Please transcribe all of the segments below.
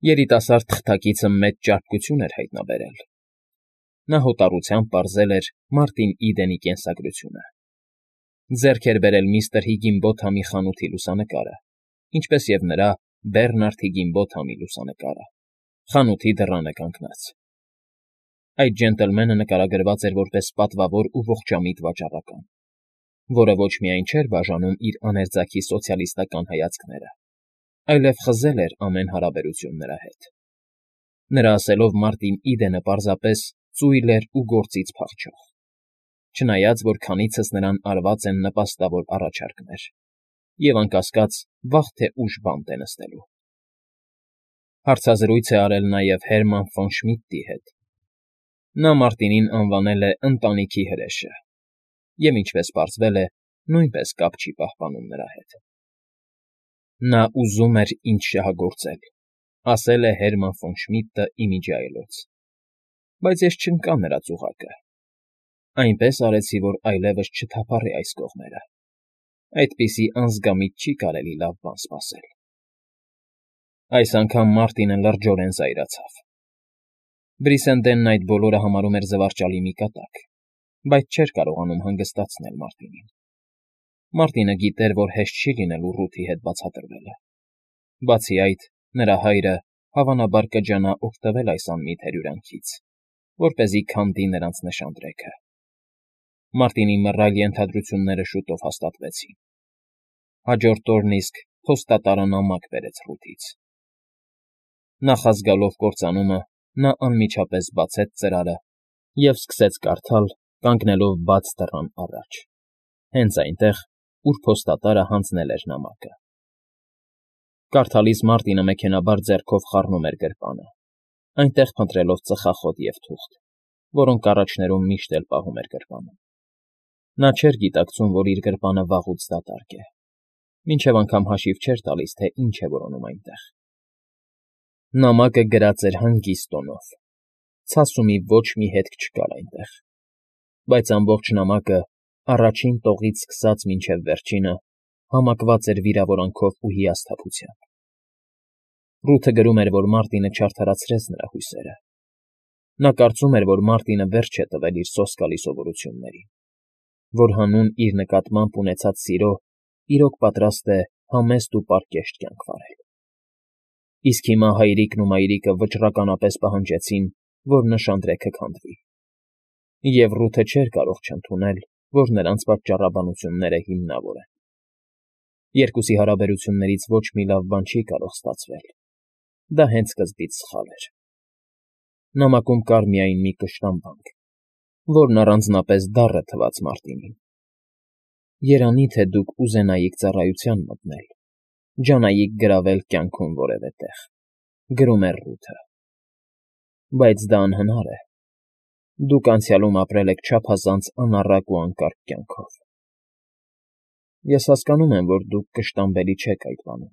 Երիտասարդ թղթակիցը մեծ ճարպկություն էր հայտնաբերել. նա հոտառությամբ պարզել էր Մարտին Իդենի կենսագրությունը, ձեռք էր բերել միստր Հիգինբոթամի խանութի լուսանկարը, ինչպես և նրա Բեռնարդ Հիգինբոթամի լուսանկարը, խանութի դռանը կանգնած։ Այդ ջենտլմենը նկարագրված էր որպես պատվավոր ու ողջամիտ վաճառական, որը ոչ միայն չէր բաժանում իր աներձակի սոցիալիստական հայացքները, այլև խզել էր ամեն հարաբերություն նրա հետ։ Նրա ասելով Մարտին Իդենը պարզապես ծույլ էր ու գործից փախչող, չնայած որ քանիցս նրան արված են նպաստավոր առաջարկներ, և անկասկած վաղ թե ուշ բանտ է նստելու։ Հարցազրույց է արել նաև Հերման ֆոն Շմիդտի հետ։ Նա Մարտինին անվանել է ընտանիքի հրեշը և, ինչպես պարզվել է, նույնպես կապ չի պահպանում նրա հետ։ Նա ուզում էր ինձ շահագործել, ասել է Հերման ֆոն Շմիդտը ի միջի այլոց, բայց ես չընկա նրա ծուղակը, այնպես արեցի, որ այլևս չթափառի այս կողմերը, այդպիսի անզգամիտ չի կարելի լավ բան սպասել։ Այս անգամ Մարտինը լրջորեն զայրացավ։ Բրիսենդենն այդ բոլորը համարում էր զվարճալի մի կատակ, բայց չէր կարողանում հանգստացնել Մարտինին։ Մարտինը գիտեր, որ հեշտ չի լինելու Ռութի հետ բացատրվելը։ Բացի այդ, նրա հայրը հավանաբար կջանա օգտվել այս անմիտ հրյուրանքից, որպեսզի քանդի նրանց նշանдрեքը։ Մարտինի մռայլ ենթադրությունները շուտով հաստատվեցին։ Հաջորդ օրն իսկ փոստատարը նամակ բերեց Ռութից։ Նախազգալով կործանումը, նա անմիջապես բացեց ծրարը և սկսեց կարդալ, կանգնելով բաց դռան առաջ, հենց այնտեղ, ուր փոստատարը հանձնել էր նամակը։ Կարդալիս Մարտինը մեքենայաբար ձեռքով խառնում էր գրպանը, այնտեղ փնտրելով ծխախոտ և թուղթ, որոնք առաջներում միշտ էլ պահում էր գրպանում։ Նա չէր գիտակցում, որ իր գրպանը վաղուց դատարկ է, մինչև անգամ հաշիվ չէր տալիս, թե ինչ է որոնում այնտեղ։ Նամակը գրած էր հանգիստ տոնով, ցասումի ոչ մի հետք չկար այնտեղ, բայց ամբողջ նամակը, առաջին տողից սկսած մինչև վերջինը, համակված էր վիրավորանքով ու հիասթափությամբ։ Ռութը գրում էր, որ Մարտինը չարդարացրեց նրա հույսերը։ Նա կարծում էր, որ Մարտինը վերջ է տվել իր սոսկալի սովորություններին, որ հանուն իր նկատմամբ ունեցած սիրո իրոք պատրաստ է համեստ ու պարկեշտ կյանք վարել։ Իսկ հիմա հայրիկն ու մայրիկը վճռականապես պահանջեցին, որ նշանдрեքը քանդվի, և Ռութը չէր կարող չընդունել, որ նրանց պատճառաբանությունները հիմնավոր են։ Երկուսի հարաբերություններից ոչ մի լավ բան չի կարող ստացվել, դա հենց սկզբից սխալ էր։ Նամակում կար միայն մի կշտամբանք, որն առանձնապես դառը թվաց Մարտինին։ Երանի թե դուք ուզենայիք ծառայության մտնել, ջանայիք գրավել կյանքում որևէ տեղ, գրում էր Ռութը։ Բայց դա անհնար է։ Դուք անցյալում ապրել եք չափազանց անառակ ու անկարգ կյանքով։ Ես հասկանում եմ, որ դուք կշտամբելի չեք այդ բանում։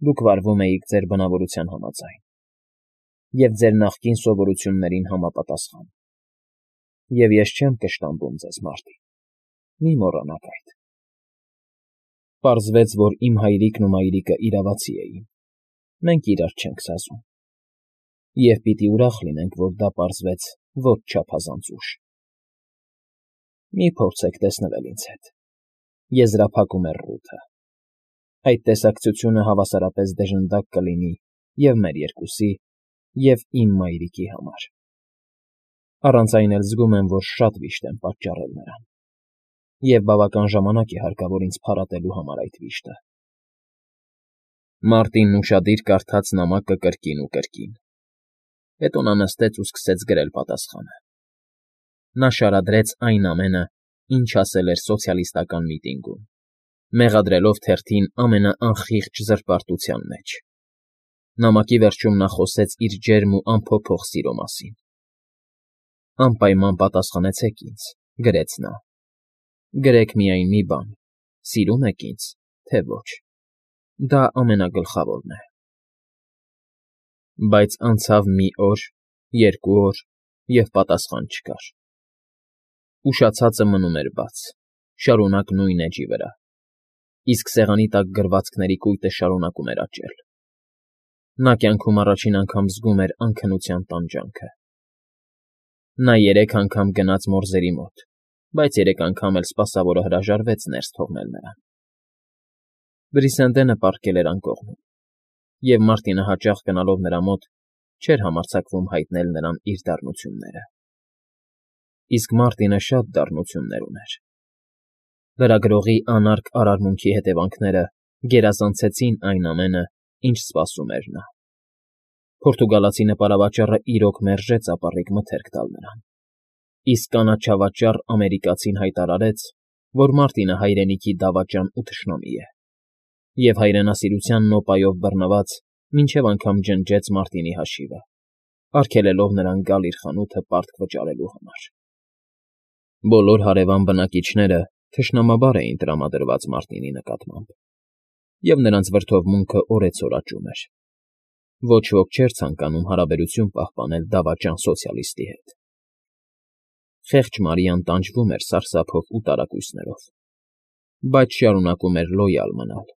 Դուք վարվում էիք ձեր բնավորության համաձայն և ձեր նախկին սովորություններին համապատասխան։ Եվ ես չեմ կշտամբում ձեզ, Մարտին, մի մոռանաք այդ։ Պարզվեց, որ իմ հայրիկն ու մայրիկը իրավացի էին, մենք իրար չենք սազում։ Եվ պիտի ուրախ լինենք, որ դա պարզվեց ոչ չափազանց ուշ։ Մի փորձեք տեսնվել ինձ հետ, եզրափակում էր Ռութը։ Այդ տեսակցությունը հավասարապես դժնդակ կլինի և մեր երկուսի, և իմ մայրիկի համար։ Առանց այն էլ զգում եմ, որ շատ վիշտ եմ պատճառել նրան, և բավական ժամանակ է հարկավոր ինձ փարատելու համար այդ վիշտը։ Մարտինն ուշադիր կարդաց նամակը կրկին ու կրկին։ Հետո նա նստեց ու սկսեց գրել պատասխանը։ Նա շարադրեց այն ամենը, ինչ ասել էր սոցիալիստական միտինգում, մեղադրելով թերթին ամենաանխիղճ զրպարտության մեջ։ Նամակի վերջում նա խոսեց իր ջերմ ու անփոփոխ սիրո մասին։ Անպայման պատասխանեցեք ինձ, գրեց նա։ Գրեք միայն մի բան. սիրո՞ւմ եք ինձ, թե ոչ։ Դա ամենագլխավորն է։ Բայց անցավ մի օր, երկու օր, և պատասխան չկար։ Ուշացածը մնում էր բաց, շարունակ նույն էջի վրա, իսկ սեղանի տակ գրվածքների կույտը շարունակում էր աճել։ Նա կյանքում առաջին անգամ զգում էր անքնության տանջանքը։ Նա 3 անգամ գնաց մորզերի մոտ, բայց 3 անգամ էլ սպասավորը հրաժարվեց ներս թողնել նրան։ Բրիսենդենը պառկել էր անկողնում, և Մարտինը հաճախ գնալով նրա մոտ չէր համարձակվում հայտնել նրան իր դառնությունները։ Իսկ Մարտինը շատ դառնություններ ուներ։ Լրագրողի անարգ արարմունքի հետևանքները գերազանցեցին այն ամենը, ինչ սպասում էր նա։ Պորտուգալացի նպարավաճառը իրոք մերժեց ապառիկ մթերք տալ նրան, իսկ կանաչավաճառ ամերիկացին հայտարարեց, որ Մարտինը հայրենիքի դավաճան ու թշնամի է, և հայրենասիրության նոպայով բռնված մինչև անգամ ջնջեց Մարտինի հաշիվը, արգելելով նրան գալ իր խանութը պարտք վճարելու համար։ Բոլոր հարևան բնակիչները թշնամաբար էին տրամադրված Մարտինի նկատմամբ, և նրանց վրդովմունքը օրեցօր աճում էր։ Ոչ ոք չէր ցանկանում հարաբերություն պահպանել դավաճան սոցիալիստի հետ։ Խեղճ Մարիան տանջվում էր սարսափով ու տարակույսներով, բայց շարունակում էր լոյալ մնալ։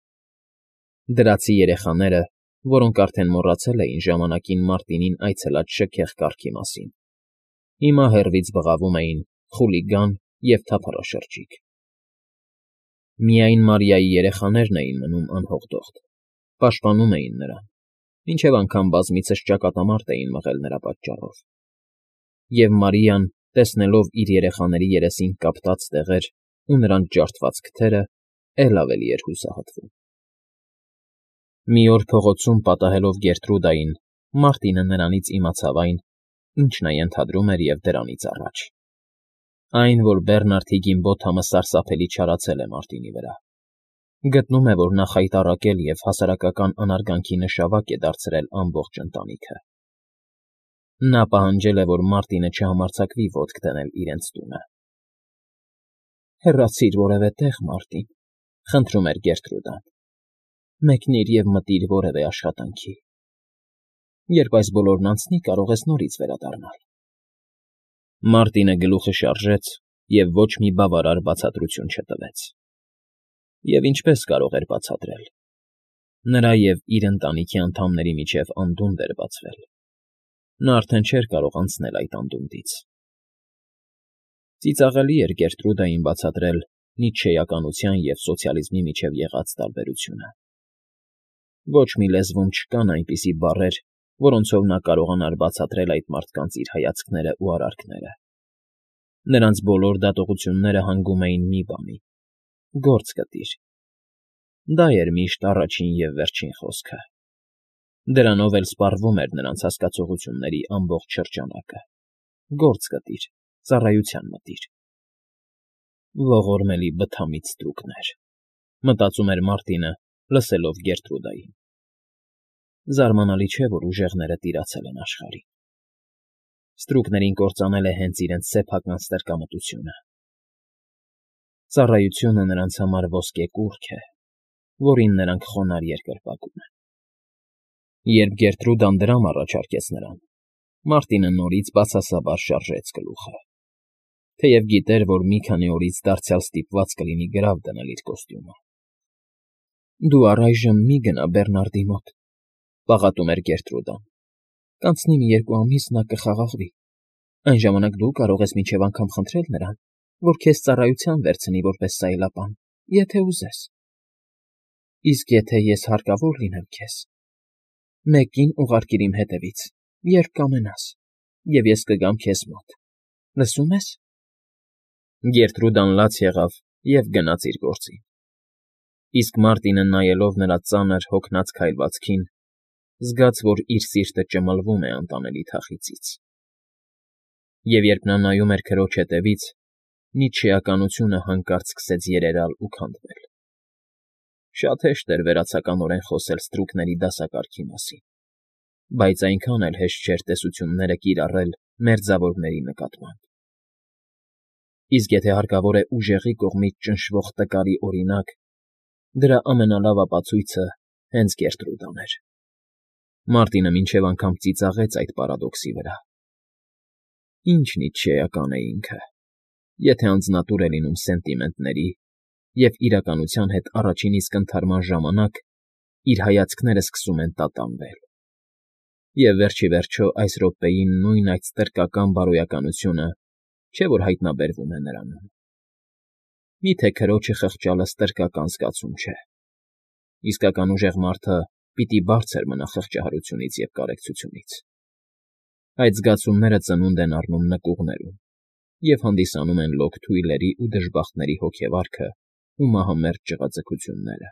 Դրացի երեխաները, որոնք արդեն մոռացել էին ժամանակին Մարտինին այցելած շքեղ կառքի մասին, հիմա հեռվից բղավում էին խուլիգան և թափառաշրջիկ։ Միայն Մարիայի երեխաներն էին մնում անհողդողդ, պաշտպանում էին նրան, մինչև անգամ բազմիցս ճակատամարտ էին մղել նրա պատճառով։ Եվ Մարիան, տեսնելով իր երեխաների երեսին կապտած տեղեր ու նրանց ջարդված քթերը, էլ ավելի էր հուսահատվում։ Մի օր փողոցում պատահելով Գերտրուդային, Մարտինը նրանից իմացավ այն, ինչ նա ենթադրում էր և դրանից առաջ։ Այն, որ Բեռնարդ Հիգինբոթամը սարսափելի չարացել է Մարտինի վրա։ Գտնում է, որ նա խայտառակել և հասարակական անարգանքի նշավակ է դարձրել ամբողջ ընտանիքը։ Նա պահանջել է, որ Մարտինը չհամարձակվի ոտք դնել իրենց տունը։ «Հեռացիր որևէ տեղ, Մարտին», խնդրում էր Գերտրուդան։ «Մեկնիր և մտիր որևէ աշխատանքի։ Երբ այս բոլորն անցնի, կարող ես նորից վերադառնալ»։ Մարտինը գլուխը շարժեց և ոչ մի բավարար բացատրություն չտվեց։ Եվ ինչպես կարող էր բացատրել։ Նրա և իր ընտանիքի անդամների միջև անդունդ էր բացվել։ Նա արդեն չէր կարող անցնել այդ անդունդից։ Ծիծաղելի էր Գերտրուդային բացատրել նիցշեականության և սոցիալիզմի միջև եղած տարբերությունը։ Ոչ մի լեզվում չկան այնպիսի բառեր, որոնցով նա կարողանար բացատրել այդ մարդկանց իր հայացքները ու արարքները։ Նրանց բոլոր դատողությունները հանգում էին մի բանի. «Գործ գտիր»։ Դա էր միշտ առաջին և վերջին խոսքը։ Դրանով էլ սպառվում էր նրանց հասկացողությունների ամբողջ շրջանակը։ «Գործ գտիր, ծառայության մտիր»։ Ողորմելի բթամիտ ստրուկներ, մտածում էր Մարտինը, լսելով Գերտրուդային։ Զարմանալի չէ, որ ուժեղները տիրացել են աշխարհին։ Ստրուկներին կործանել է հենց իրենց սեփական ստրկամտությունը։ Ծառայությունը նրանց համար ոսկե կուռք է, որին նրանք խոնարհ երկրպագում են։ Երբ Գերտրուդան դրամ առաջարկեց նրան, Մարտինը նորից բացասաբար շարժեց գլուխը, թեև գիտեր, որ մի քանի օրից դարձյալ ստիպված կլինի գրավ դնել իր կոստյումը։ «Դու առայժմ մի գնա Բեռնարդի մոտ», պաղատում էր Գերտրուդան։ «Կանցնի մի 2 ամիս, նա կխաղաղվի։ Այն ժամանակ դու կարող ես մինչև անգամ խնդրել նրան, որ քեզ ծառայության վերցնի որպես սայլապան, եթե ուզես։ Իսկ եթե ես հարկավոր լինեմ քեզ, 1 կին ուղարկիր իմ հետևից, երբ կամենաս, և ես կգամ քեզ մոտ։ Լսո՞ւմ ես»։ Գերտրուդան լաց եղավ և գնաց իր գործին։ Իսկ Մարտինը, նայելով նրա ծանր, հոգնած քայլվածքին, զգաց, որ իր սիրտը ճմլվում է անտանելի թախիծից։ Եվ երբ նա նայում էր քրոջ հետևից, նիցշեականությունը հանկարծ սկսեց երերալ ու քանդվել։ Շատ հեշտ էր վերացականորեն խոսել ստրուկների դասակարգի մասին, բայց այնքան էլ հեշտ չէր տեսությունները կիրառել մերձավորների նկատմամբ։ Իսկ եթե հարկավոր է ուժեղի կողմից ճնշվող տկարի օրինակ, դրա ամենալավ ապացույցը հենց Գերտրուդան էր։ Մարտինը մինչև անգամ ծիծաղեց այդ պարադոքսի վրա։ Ինչ նիցշեական է ինքը, եթե անձնատուր է լինում սենտիմենտների և իրականության հետ առաջին իսկ ընդհարման ժամանակ իր հայացքները սկսում են տատանվել։ Եվ վերջիվերջո այս րոպեին նույն այդ ստրկական բարոյականությունը չէ՞ որ հայտնաբերվում է նրանում… Մի՞թե քրոջը խղճալը ստրկական զգացում չէ… Իսկական ուժեղ մարդը պիտի բարձր մնա խղճահարությունից և կարեկցությունից… Այդ զգացումները ծնունդ են առնում նկուղներում և հանդիսանում են լոկ թույլերի ու դժբախտների հոգեվարքն ու մահամերձ ջղաձգությունները։